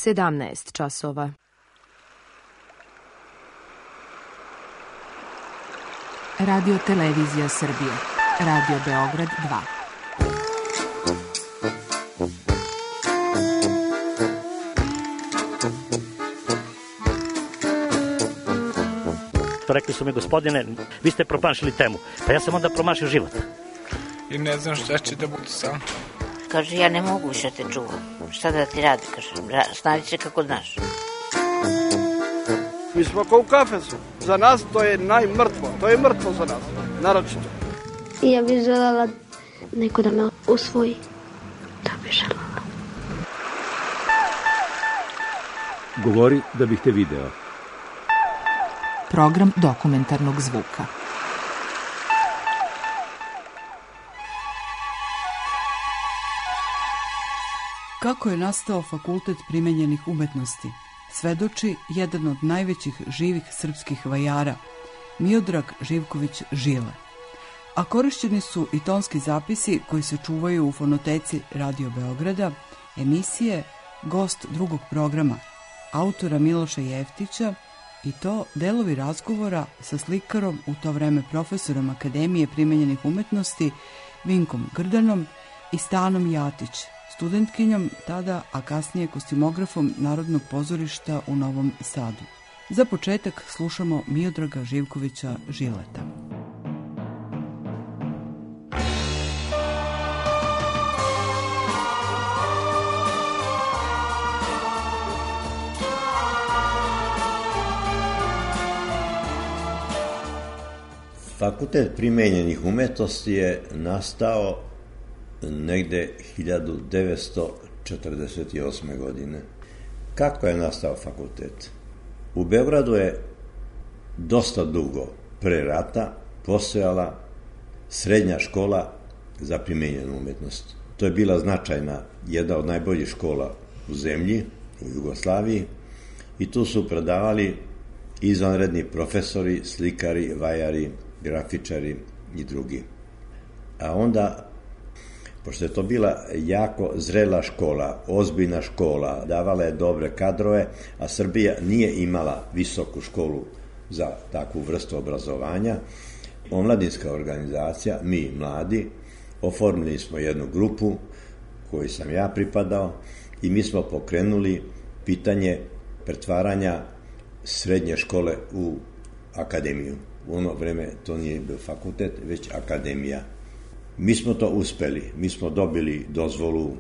17 časova. Radio Televizija Srbije. Radio Beograd 2. Rekli su mi, gospodine, vi ste promašili temu. Pa ja sam onda promašio život. I ne znam šta će da bude sam. Kaže, ja ne mogu više te čuvam. Šta da ti radi, kaže, snađi se kako znaš. Mi smo kao u kafesu. Za nas to je najmrtvo. To je mrtvo za nas, naročito. Ja bih željela neko da me usvoji. Da bih željela. Govori da bih te video. Program dokumentarnog zvuka. Kako je nastao Fakultet primenjenih umetnosti, svedoči jedan od najvećih živih srpskih vajara, Miodrag Živković Žile. A korišćeni su i tonski zapisi koji se čuvaju u fonoteci Radio Beograda, emisije Gost drugog programa, autora Miloša Jeftića, i to delovi razgovora sa slikarom, u to vreme profesorom Akademije primenjenih umetnosti, Vinkom Grdanom i Stanom Jatić, studentkinjom tada, a kasnije kostimografom Narodnog pozorišta u Novom Sadu. Za početak slušamo Miodraga Živkovića Žileta. Fakultet primenjenih umetnosti je nastao negde 1948. godine. Kako je nastao fakultet? U Beogradu je dosta dugo pre rata postojala srednja škola za primenjenu umetnost. To je bila značajna, jedna od najboljih škola u zemlji, u Jugoslaviji, i tu su predavali izvanredni profesori, slikari, vajari, grafičari i drugi. A onda, pošto je to bila jako zrela škola, ozbiljna škola, davala je dobre kadrove, a Srbija nije imala visoku školu za takvu vrstu obrazovanja, omladinska organizacija, mi mladi, oformili smo jednu grupu koju sam ja pripadao i mi smo pokrenuli pitanje pretvaranja srednje škole u akademiju. U ono vreme to nije bio fakultet, već akademija. Mi smo to uspeli, mi smo dobili dozvolu,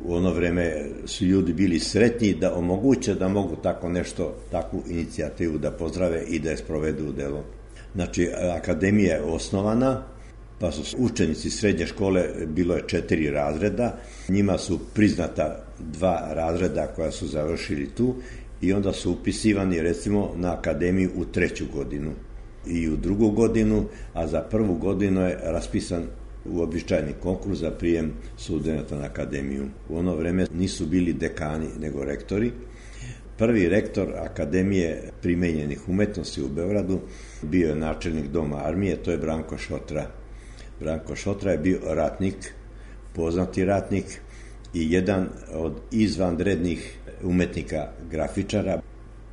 u ono vreme su ljudi bili sretni da omoguće da mogu tako nešto, takvu inicijativu da pozdrave i da je sprovedu u delo. Znači, akademija je osnovana, pa su učenici srednje škole, bilo je 4 razreda, njima su priznata 2 razreda koja su završili tu i onda su upisivani recimo na akademiju u 3. godinu i u 2. godinu, a za 1. godinu je raspisan uobičajeni konkurs za prijem studenata na akademiju. U ono vreme nisu bili dekani, nego rektori. Prvi rektor Akademije primenjenih umetnosti u Beogradu bio je načelnik Doma armije, to je Branko Šotra. Branko Šotra je bio ratnik, poznati ratnik i jedan od izvanrednih umetnika grafičara.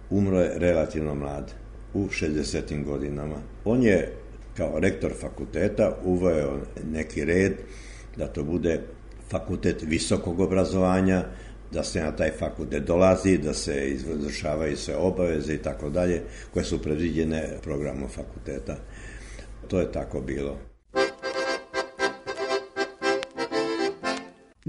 Umro je relativno mlad, u 60. godinama. On je kao rektor fakulteta uveo neki red da to bude fakultet visokog obrazovanja, da se na taj fakultet dolazi, da se izvršavaju sve obaveze i tako dalje, koje su predviđene programom fakulteta. To je tako bilo.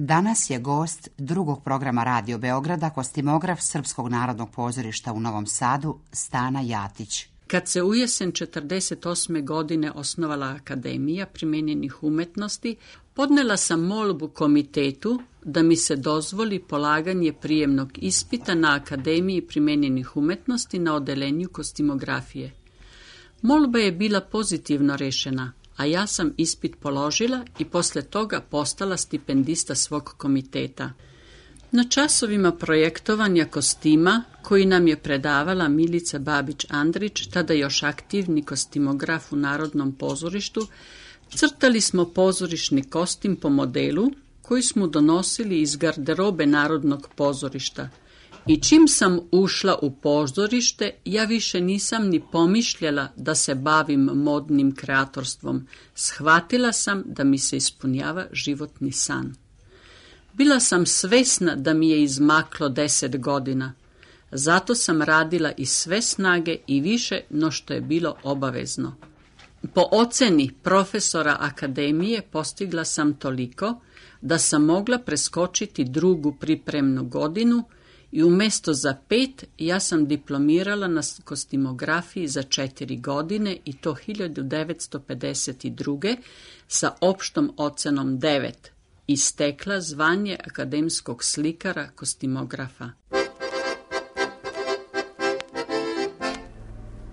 Danas je gost drugog programa Radio Beograda kostimograf Srpskog narodnog pozorišta u Novom Sadu, Stana Jatić. Kad se u jesen 1948. godine osnovala Akademija primenjenih umetnosti, podnela sam molbu komitetu da mi se dozvoli polaganje prijemnog ispita na Akademiji primenjenih umetnosti na odelenju kostimografije. Molba je bila pozitivno rešena, a ja sam ispit položila i posle toga postala stipendista svog komiteta. Na časovima projektovanja kostima, koji nam je predavala Milica Babić-Andrić, tada još aktivni kostimograf u Narodnom pozorištu, crtali smo pozorišni kostim po modelu koji smo donosili iz garderobe Narodnog pozorišta I čim sam ušla u pozorište, ja više nisam ni pomišljala da se bavim modnim kreatorstvom. Shvatila sam da mi se ispunjava životni san. Bila sam svesna da mi je izmaklo 10 godina. Zato sam radila i sve snage i više no što je bilo obavezno. Po oceni profesora akademije postigla sam toliko da sam mogla preskočiti drugu pripremnu godinu i umjesto za 5 ja sam diplomirala na kostimografiji za 4 godine i to 1952. sa opštom ocenom 9 i stekla zvanje akademskog slikara kostimografa.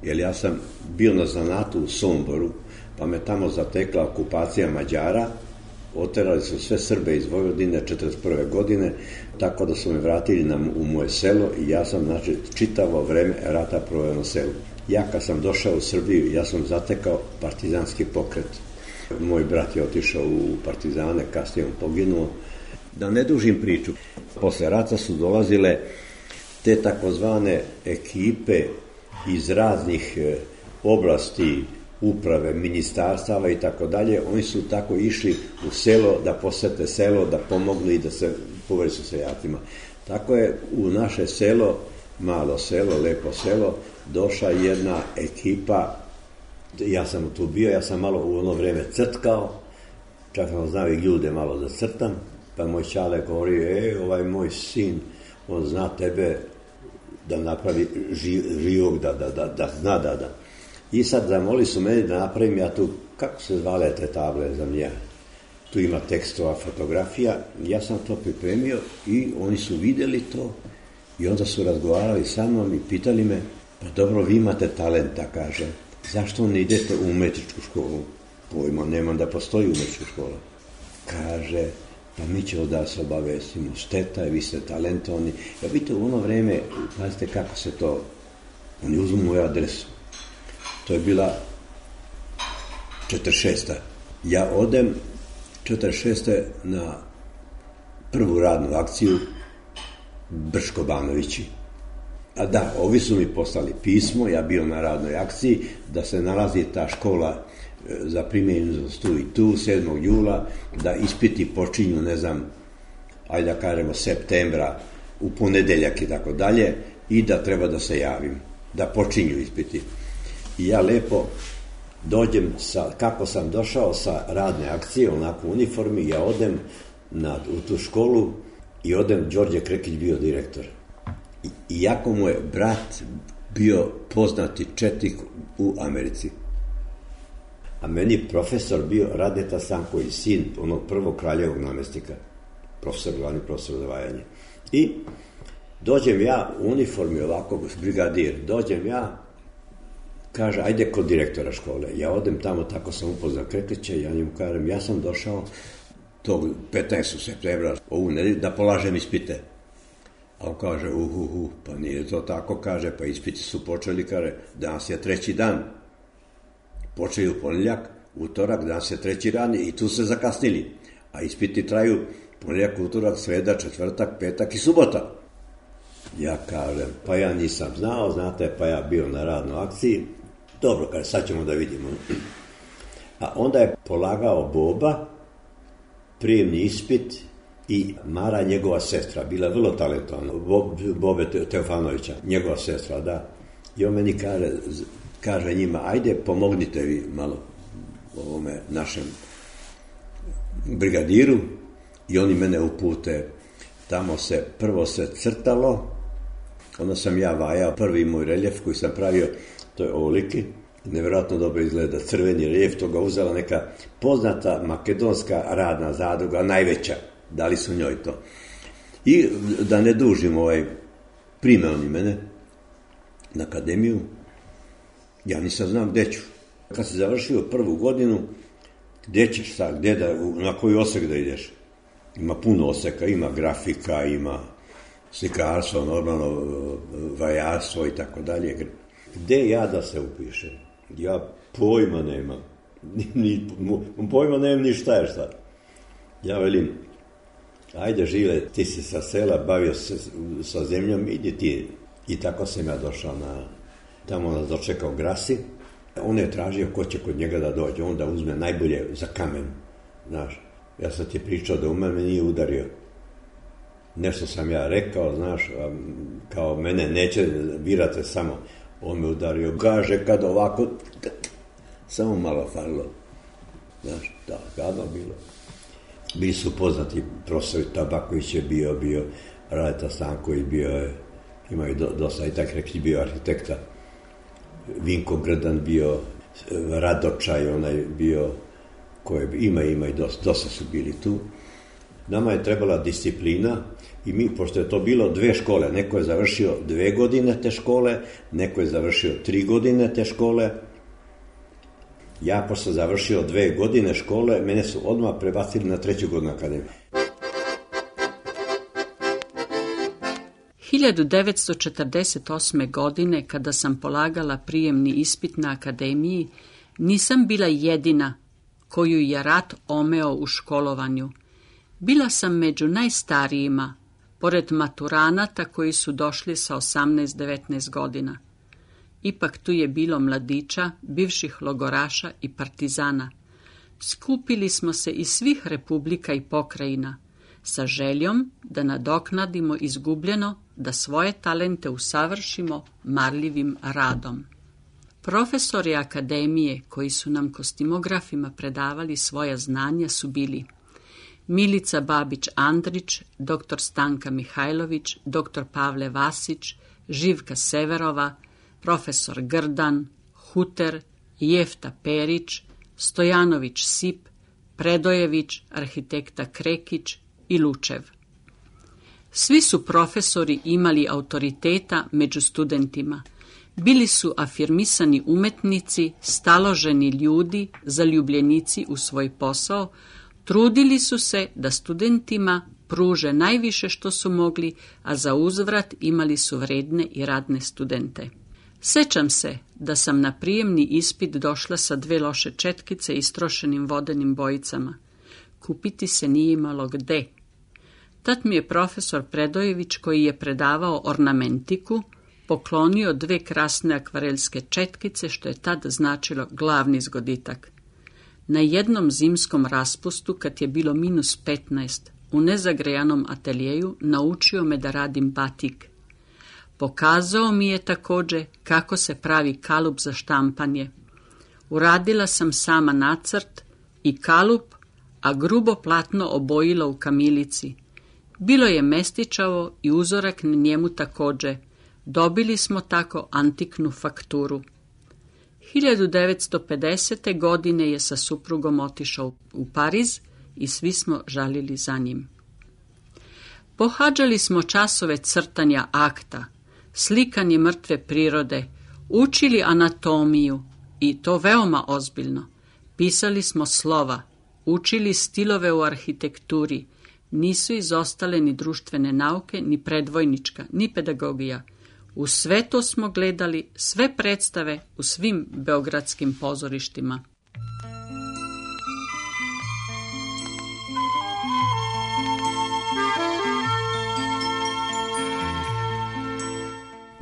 Jer ja sam bio na zanatu u Somboru, pa me tamo zatekla okupacija Mađara, oterali su sve Srbe iz Vojvodine 1941. godine, tako da su me vratili u moje selo i ja sam, znači, čitavo vreme rata proveo na selu. Ja kad sam došao u Srbiju, ja sam zatekao partizanski pokret. Moj brat je otišao u partizane, kasnije on poginuo. Da ne dužim priču, posle rata su dolazile te takozvane ekipe iz raznih oblasti, uprave, ministarstava i tako dalje. Oni su tako išli u selo da posete selo, da pomognu i da se povežu sa seljacima. Tako je u naše selo, malo selo, lepo selo, došla jedna ekipa. Ja sam tu bio, ja sam malo u ono vreme crtkao, čak sam znao i ljude malo da crtam, pa moj čale govori, ovaj moj sin, on zna tebe da napravi živog, da zna da. I sad zamoli su meni da napravim ja tu, kako se zvale te table za mnja, tu ima tekstova, fotografija, ja sam to pripremio i oni su vidjeli to i onda su razgovarali sa mnom i pitali me, pa dobro, vi imate talenta, kaže, zašto ne idete u umetničku školu? Pojma nemam da postoji umetnička škola. Kaže, pa mi ćemo da se obavestimo, šteta je, vi ste talentovani. Ja vidite, u ono vreme, pazite kako se to, oni uzmu moju adresu. To je bila 46. Ja odem 46. na prvu radnu akciju Brško Banovići. A da, ovi su mi poslali pismo, ja bio na radnoj akciji, da se nalazi ta škola za primjerenost tu i tu, 7. jula, da ispiti počinju, ne znam, ajde da kažemo septembra, u ponedeljak i tako dalje, i da treba da se javim, da počinju ispiti. I ja lepo dođem, kako sam došao sa radne akcije, onako u uniformi, ja odem u tu školu i odem, Đorđe Krekić bio direktor. Iako mu je brat bio poznati četnik u Americi. A meni profesor bio Radeta Sanković, sin onog prvog kraljevog namestnika, glavni profesor za vajanje. I dođem ja u uniformi ovako, brigadir, dođem ja, kaže, ajde kod direktora škole. Ja odem tamo, tako sam upoznao Krekića i ja njemu kažem, ja sam došao tog 15. septembra ovu nedelju da polažem ispite. A on kaže, pa nije to tako, kaže, pa ispiti su počeli, kaže, danas je 3. dan. Počeli u ponedjeljak, utorak, danas je 3. dan i tu se zakasnili. A ispiti traju ponedjeljak, utorak, sreda, četvrtak, petak i subota. Ja kažem, pa ja nisam znao, znate, pa ja bio na radnoj akciji. Dobro, kaže, sad ćemo da vidimo. A onda je polagao Boba, prijemni ispit, i Mara, njegova sestra, bila vrlo talentovana, Bobe Teofanovića, njegova sestra, da. I on meni kaže njima, ajde, pomognite vi malo ovome našem brigadiru, i oni mene upute. Tamo prvo se crtalo, onda sam ja vajao prvi moj reljef koji sam pravio, to je ovoliki, nevjerojatno dobro izgleda, crveni reljef, to ga uzela neka poznata makedonska radna zadruga, najveća. Dali su njoj to. I da ne dužim, prime oni mene na akademiju, ja nisam znam gde ću. Kad si završio prvu godinu, gde ćeš sad, na koji osek da ideš? Ima puno oseka, ima grafika, ima slikarstvo, normalno vajarstvo i tako dalje. Gde ja da se upišem? Ja pojma nemam. Pojma nemam ni šta je šta. Ja velim, ajde Žile, ti si sa sela, bavio se sa zemljom, idi ti. I tako sam ja došao tamo nas dočekao Grasi. On je tražio ko će kod njega da dođe, on da uzme najbolje za kamen. Znaš, ja sam ti pričao da u mene nije udario. Nešto sam ja rekao, znaš, kao mene neće, birate samo. On me udario, kaže kad ovako, samo malo falilo. Znaš, da, gadno bilo. Bili su poznati profesori, Tabaković je bio, Radeta Stanković bio je, imaju dosta, i tak rekli, bio arhitekta. Vinko Grdan bio, Radočaj, onaj bio, ima i dosta su bili tu. Nama je trebala disciplina i mi, pošto je to bilo 2 škole, neko je završio 2 godine te škole, neko je završio 3 godine te škole. Ja, pošto sam završio 2 godine škole, mene su odmah prebacili na 3. godinu akademije. 1948. godine, kada sam polagala prijemni ispit na akademiji, nisam bila jedina koju je rat omeo u školovanju. Bila sam među najstarijima, pored maturanata koji su došli sa 18-19 godina. Ipak tu je bilo mladića, bivših logoraša i partizana. Skupili smo se iz svih republika i pokrajina, sa željom da nadoknadimo izgubljeno, da svoje talente usavršimo marljivim radom. Profesori akademije koji su nam kostimografima predavali svoja znanja su bili Milica Babić-Andrić, dr. Stanka Mihajlović, dr. Pavle Vasić, Živka Severova, profesor Grdan, Huter, Jefta Perić, Stojanović Sip, Predojević, arhitekta Krekić i Lučev. Svi su profesori imali autoriteta među studentima. Bili su afirmisani umetnici, staloženi ljudi, zaljubljenici u svoj posao, trudili su se da studentima pruže najviše što su mogli, a za uzvrat imali su vredne i radne studente. Sećam se da sam na prijemni ispit došla sa 2 loše četkice istrošenim vodenim bojicama. Kupiti se nije imalo gde. Tad mi je profesor Predojević, koji je predavao ornamentiku, poklonio 2 krasne akvarelske četkice, što je tad značilo glavni zgoditak. Na jednom zimskom raspustu, kad je bilo -15, u nezagrejanom ateljeju naučio me da radim batik. Pokazao mi je također kako se pravi kalup za štampanje. Uradila sam sama nacrt i kalup, a grubo platno obojila u kamilici. Bilo je mestičavo i uzorak na njemu također. Dobili smo tako antiknu fakturu. 1950. godine je sa suprugom otišao u Pariz i svi smo žalili za njim. Pohađali smo časove crtanja akta, slikanje mrtve prirode, učili anatomiju i to veoma ozbiljno. Pisali smo slova, učili stilove u arhitekturi, nisu izostale ni društvene nauke, ni predvojnička, ni pedagogija. U sve to smo gledali, sve predstave u svim beogradskim pozorištima.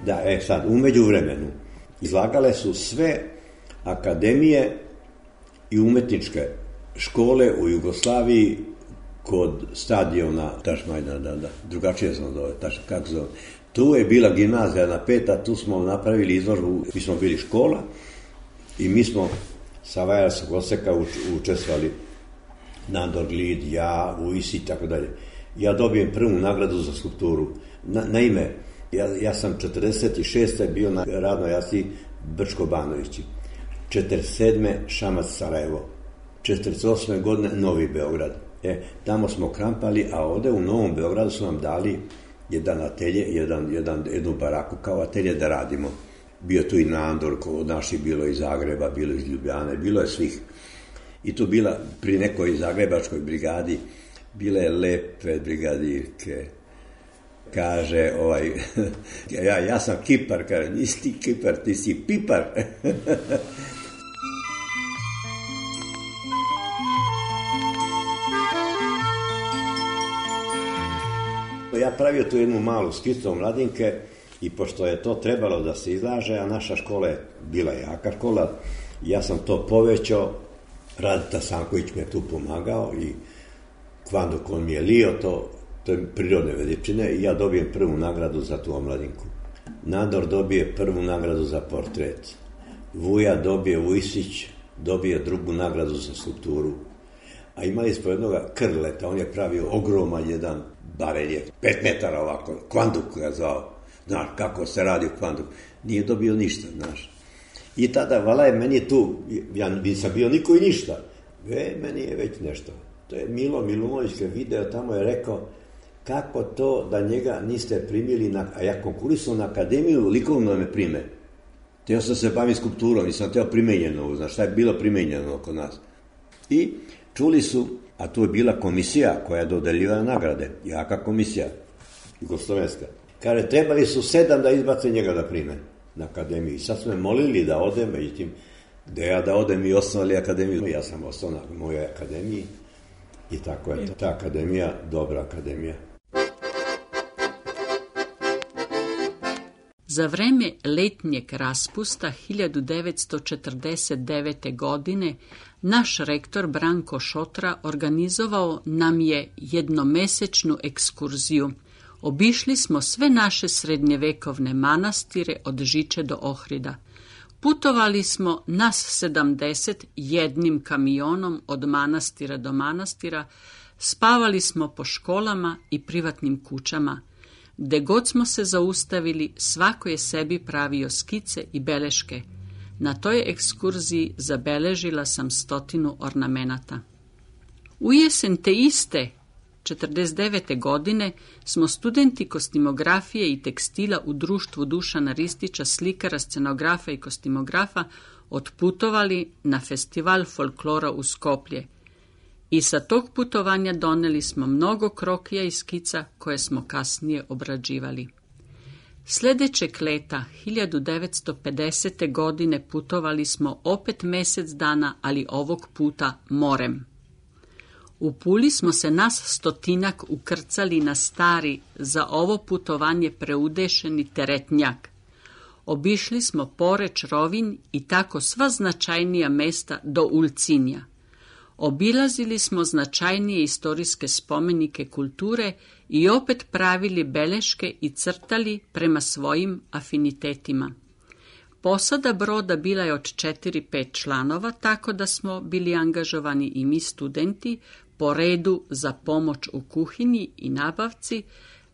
Da, sad, u međuvremenu izlagale su sve akademije i umetničke škole u Jugoslaviji kod stadiona Tašmajdan, da, drugačije sam zove, kako zove. Tu je bila gimnazija na 5, tu smo napravili izložbu, mi smo bili škola i mi smo sa Vajarskog oseka učestvovali Nandor Glid, ja, Vujsi i tako dalje. Ja dobijem prvu nagradu za skulpturu. Naime, ja sam 46. bio na radnoj akciji Brčko-Banovići, 47. Šamac Sarajevo, 48. godine Novi Beograd. Tamo smo krampali, a ovde u Novom Beogradu su nam dali jedan atelje, jednu baraku kao atelje da radimo. Bio tu i Nandor, od naših bilo iz Zagreba, bilo iz Ljubljane, bilo je svih. I tu bila pri nekoj zagrebačkoj brigadi, bile lepe brigadirke. Kaže, ja sam kipar, kaže, nisi ti kipar, ti si pipar. ja pravio tu jednu malu skicu omladinke i pošto je to trebalo da se izlaže, a naša škola je bila jaka škola, ja sam to povećao, Radita Sanković me tu pomagao i Kvanduk on mi je lio to je prirodne veličine i ja dobijem prvu nagradu za tu omladinku. Nador dobije prvu nagradu za portret. Vujsić dobije drugu nagradu za skulpturu. A imali smo jednoga Krleta, on je pravio ogroman jedan bareljef, 5 metara ovako, Kvanduk ga zvao. Znaš, kako se radi u Kvanduku. Nije dobio ništa, znaš. I tada, vala je meni tu, ja nisam bio niko i ništa. Meni je već nešto. To je Milo Milunović video, tamo je rekao kako to da njega niste primili, a ja konkurisao na akademiju, likovno da me prime. Teo sam se baviti skulpturom, nisam teo primenjeno, znaš, šta je bilo primenjeno oko nas. I čuli su, a tu je bila komisija koja je dodeljivala nagrade, jaka komisija, jugoslovenska. Kaže, trebali su 7 da izbace njega da prime na akademiji. Sad su me molili da odem, međutim, gde ja da odem i osnovali akademiju. Ja sam ostao na mojoj akademiji i tako je ta akademija, dobra akademija. Za vreme letnjeg raspusta 1949. godine naš rektor Branko Šotra organizovao nam je jednomesečnu ekskurziju. Obišli smo sve naše srednjevekovne manastire od Žiče do Ohrida. Putovali smo nas 70 jednim kamionom od manastira do manastira, spavali smo po školama i privatnim kućama. Gde god smo se zaustavili, svako je sebi pravio skice i beleške. Na toj ekskurziji zabeležila sam 100 ornamenata. U jesen te iste 1949. godine smo studenti kostimografije i tekstila u društvu Dušana Ristića, slikara, scenografa i kostimografa, otputovali na festival folklora u Skoplje. I sa tog putovanja doneli smo mnogo krokija i skica koje smo kasnije obrađivali. Sljedećeg leta, 1950. godine, putovali smo opet mesec dana, ali ovog puta morem. U Puli smo se nas 100 ukrcali na stari, za ovo putovanje preudešeni teretnjak. Obišli smo Poreč, Rovinj i tako sva značajnija mesta do Ulcinja. Obilazili smo značajnije istorijske spomenike kulture i opet pravili beleške i crtali prema svojim afinitetima. Posada broda bila je od 4-5 članova, tako da smo bili angažovani i mi studenti po redu za pomoć u kuhinji i nabavci,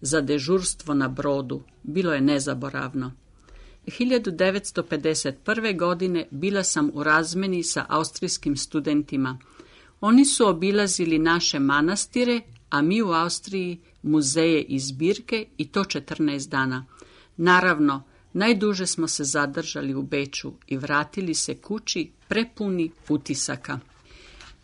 za dežurstvo na brodu. Bilo je nezaboravno. 1951. godine bila sam u razmeni sa austrijskim studentima. Oni su obilazili naše manastire, a mi u Austriji muzeje i zbirke, i to 14 dana. Naravno, najduže smo se zadržali u Beču i vratili se kući prepuni utisaka.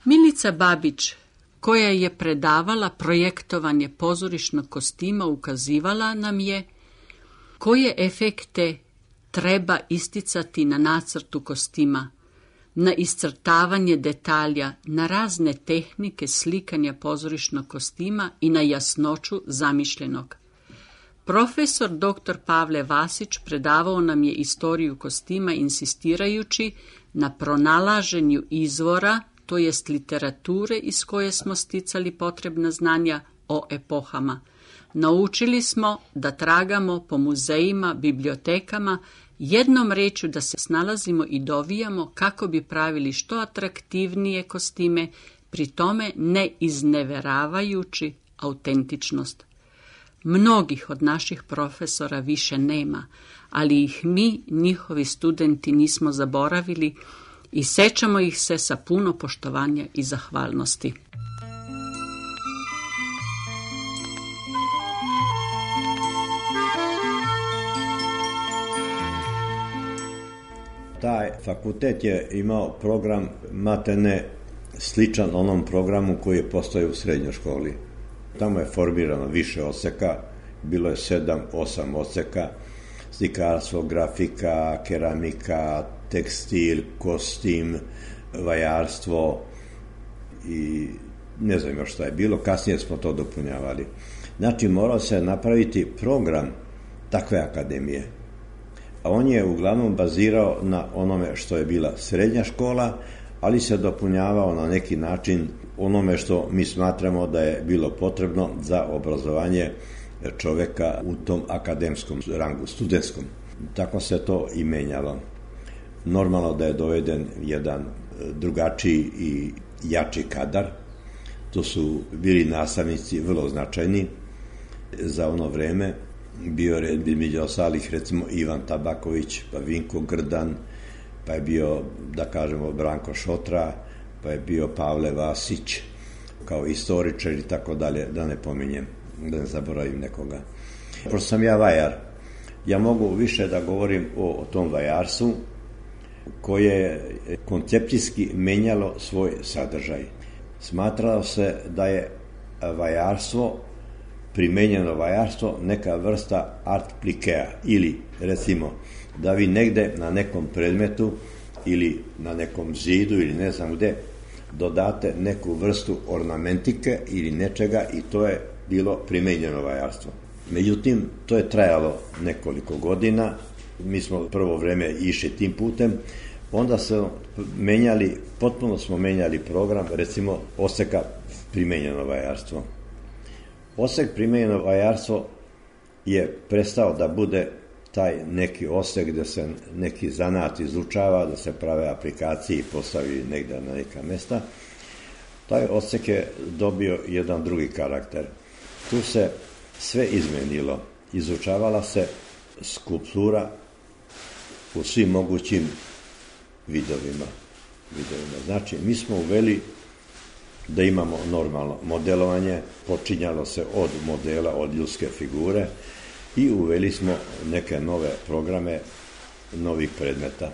Milica Babić, koja je predavala projektovanje pozorišnog kostima, ukazivala nam je koje efekte treba isticati na nacrtu kostima, na iscrtavanje detalja, na razne tehnike slikanja pozorišnog kostima i na jasnoću zamišljenog. Profesor dr. Pavle Vasić predavao nam je istoriju kostima, insistirajući na pronalaženju izvora, to jest literature iz koje smo sticali potrebna znanja o epohama. Naučili smo da tragamo po muzejima, bibliotekama, jednom rečju da se snalazimo i dovijamo kako bi pravili što atraktivnije kostime, pri tome ne izneveravajući autentičnost. Mnogih od naših profesora više nema, ali ih mi, njihovi studenti, nismo zaboravili i sećamo ih se sa puno poštovanja i zahvalnosti. Taj fakultet je imao program matene sličan onom programu koji je postojao u srednjoj školi. Tamo je formirano više odseka, bilo je 7-8 odseka, slikarstvo, grafika, keramika, tekstil, kostim, vajarstvo i ne znam još šta je bilo, kasnije smo to dopunjavali. Znači, morao se napraviti program takve akademije. A on je uglavnom bazirao na onome što je bila srednja škola, ali se dopunjavao na neki način onome što mi smatramo da je bilo potrebno za obrazovanje čoveka u tom akademskom rangu, studentskom. Tako se to i menjalo. Normalno da je doveden jedan drugačiji i jači kadar. To su bili nastavnici vrlo značajni za ono vreme. Bio je među ostalih recimo Ivan Tabaković, pa Vinko Grdan, pa je bio, da kažemo, Branko Šotra, pa je bio Pavle Vasić kao istoričar i tako dalje, da ne pominjem, da ne zaboravim nekoga. Pošto sam ja vajar, ja mogu više da govorim o tom vajarstvu koje je koncepcijski menjalo svoj sadržaj. Smatralo se da je vajarstvo, primenjeno vajarstvo, neka vrsta art plikea, ili recimo da vi negde na nekom predmetu ili na nekom zidu ili ne znam gde dodate neku vrstu ornamentike ili nečega i to je bilo primenjeno vajarstvo. Međutim, to je trajalo nekoliko godina, mi smo prvo vreme išli tim putem, onda smo potpuno smo menjali program, recimo oseka primenjeno vajarstvo. Osek primenjeno vajarstvo je prestao da bude taj neki osek gde se neki zanat izučava, da se prave aplikacije i postavi negde na neka mesta. Taj osek je dobio jedan drugi karakter. Tu se sve izmenilo. Izučavala se skulptura u svim mogućim vidovima. Znači, mi smo uveli da imamo normalno modelovanje, počinjalo se od modela, od ljudske figure i uveli smo neke nove programe novih predmeta.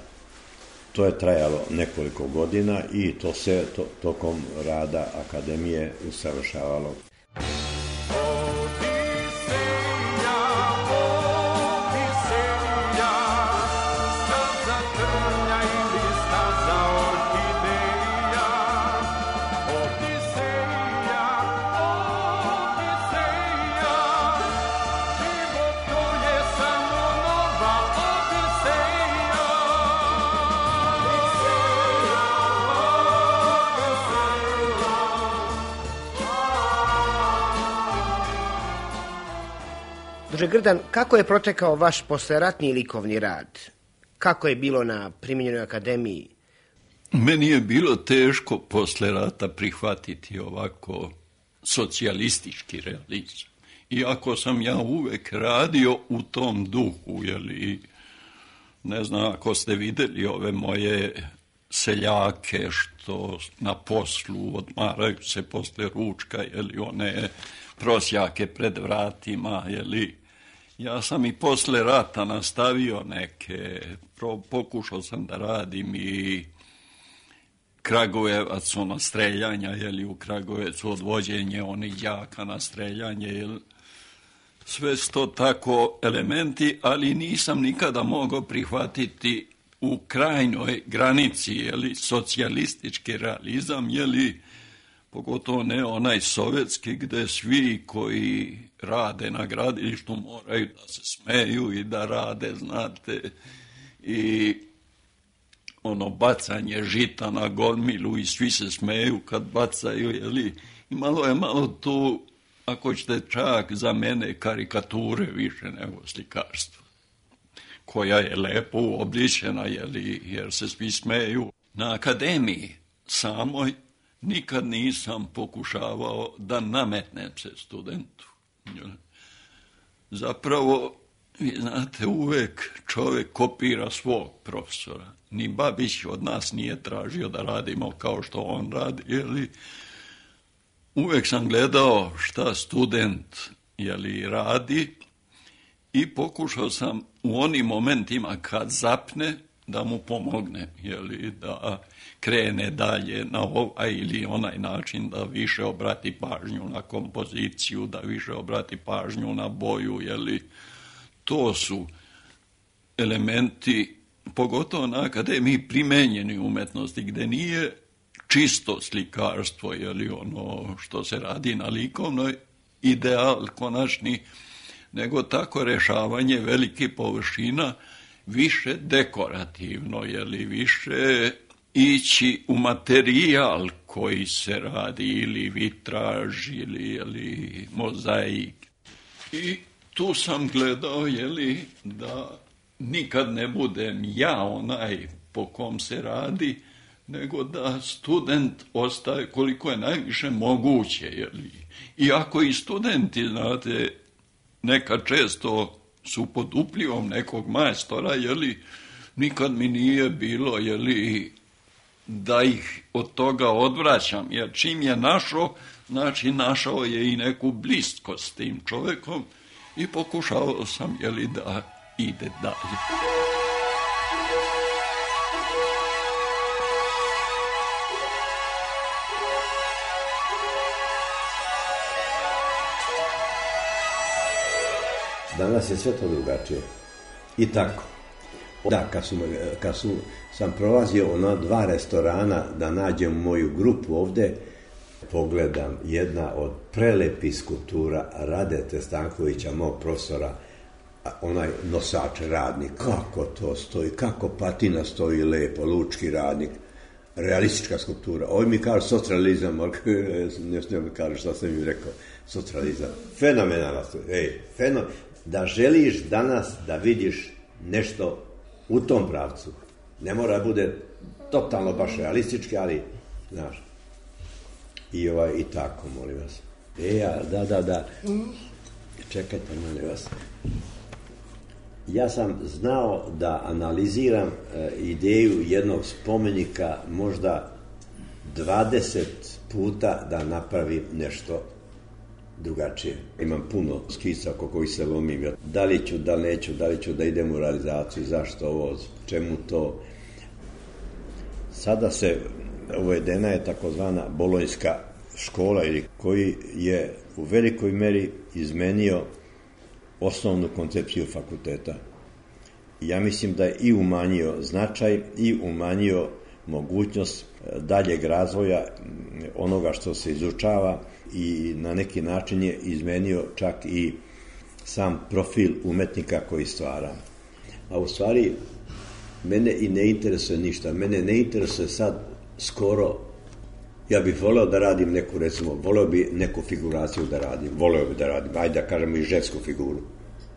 To je trajalo nekoliko godina i to se tokom rada akademije usavršavalo. Grdan, kako je protekao vaš posleratni likovni rad? Kako je bilo na Primenjenoj akademiji? Meni je bilo teško posle rata prihvatiti ovako socijalistički realizam. Iako sam ja uvek radio u tom duhu, ne znam ako ste videli ove moje seljake što na poslu odmaraju se posle ručka, one prosjake pred vratima, ja sam i posle rata nastavio neke, pokušao sam da radim i Kragujevac, streljanja, u Kragujevacu odvođenje onih đaka na streljanje, sve sto tako elementi, ali nisam nikada mogao prihvatiti u krajnjoj granici, socijalistički realizam, pogotovo ne onaj sovjetski gde svi koji rade na gradilištu moraju da se smeju i da rade, znate, i bacanje žita na gomilu i svi se smeju kad bacaju, imalo je malo tu, ako ćete čak za mene karikature više nego slikarstvo, koja je lepo uobličena, jer se svi smeju. Na akademiji samoj nikad nisam pokušavao da nametnem se studentu. Zapravo, vi znate, uvek čovjek kopira svog profesora. Ni Babić od nas nije tražio da radimo kao što on radi, uvek sam gledao šta student radi i pokušao sam u onim momentima kad zapne da mu pomogne, da krene dalje na ovaj ili onaj način, da više obrati pažnju na kompoziciju, da više obrati pažnju na boju, to su elementi, pogotovo na akademiji primenjeni umetnosti, gde nije čisto slikarstvo, ono što se radi na likovnoj, ideal konačni, nego tako rešavanje velikih površina više dekorativno, više ići u materijal koji se radi, ili vitraž, ili mozaik. I tu sam gledao, da nikad ne budem ja onaj po kom se radi, nego da student ostaje koliko je najviše moguće. Iako i studenti, znate, nekad često su pod uplivom nekog majstora, nikad mi nije bilo, da ih od toga odvraćam, jer čim je našao, znači našao je i neku bliskost s tim čovekom i pokušavao sam, da ide dalje. Danas je sve to drugačije. I tako. Da, kad sam prolazio na 2 restorana da nađem moju grupu ovde, pogledam jedna od prelepih skulptura Radete Stankovića, mog profesora, onaj nosač, radnik, kako to stoji, kako patina stoji lepo, lučki radnik, realistička skulptura. Ovi mi kažu socrealizam, ne mi kažu šta sam im rekao, socrealizam. Fenomenalno, da želiš danas da vidiš nešto u tom pravcu. Ne mora da bude totalno baš realistički, ali, znaš, i tako, molim vas. Da. Čekajte, molim vas. Ja sam znao da analiziram ideju jednog spomenika možda 20 puta da napravim nešto drugačije. Imam puno skica oko kojih se lomim. Da li ću, da li neću, da li ću da idem u realizaciju, zašto ovo, čemu to. Sada uvedena je takozvana bolonjska škola, koji je u velikoj meri izmenio osnovnu koncepciju fakulteta. Ja mislim da je i umanjio značaj i umanjio mogućnost daljeg razvoja onoga što se izučava i na neki način je izmenio čak i sam profil umetnika koji stvara. A u stvari, mene i ne interesuje ništa. Mene ne interesuje sad skoro, ja bih voleo da radim neku, recimo, voleo bi neku figuraciju da radim, ajde da kažemo i žensku figuru,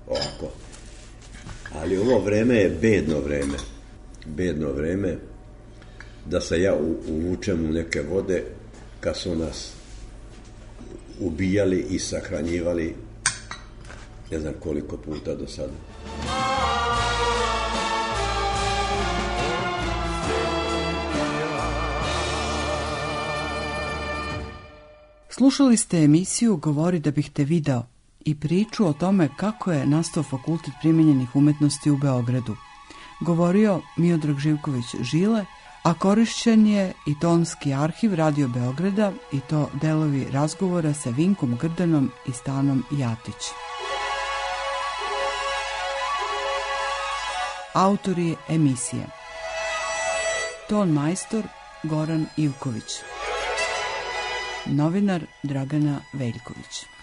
ovako. Ali ovo vreme je bedno vreme, da se ja uvučem u neke vode kad su nas ubijali i sahranjivali ne znam koliko puta do sada. Slušali ste emisiju Govori da bih te video i priču o tome kako je nastao Fakultet primenjenih umetnosti u Beogradu. Govorio Miodrag Živković Žile, a korišćen je i tonski arhiv Radio Beograda i to delovi razgovora sa Vinkom Grdanom i Stanom Jatić. Autori emisije: ton majstor Goran Ivković, novinar Dragana Veljković.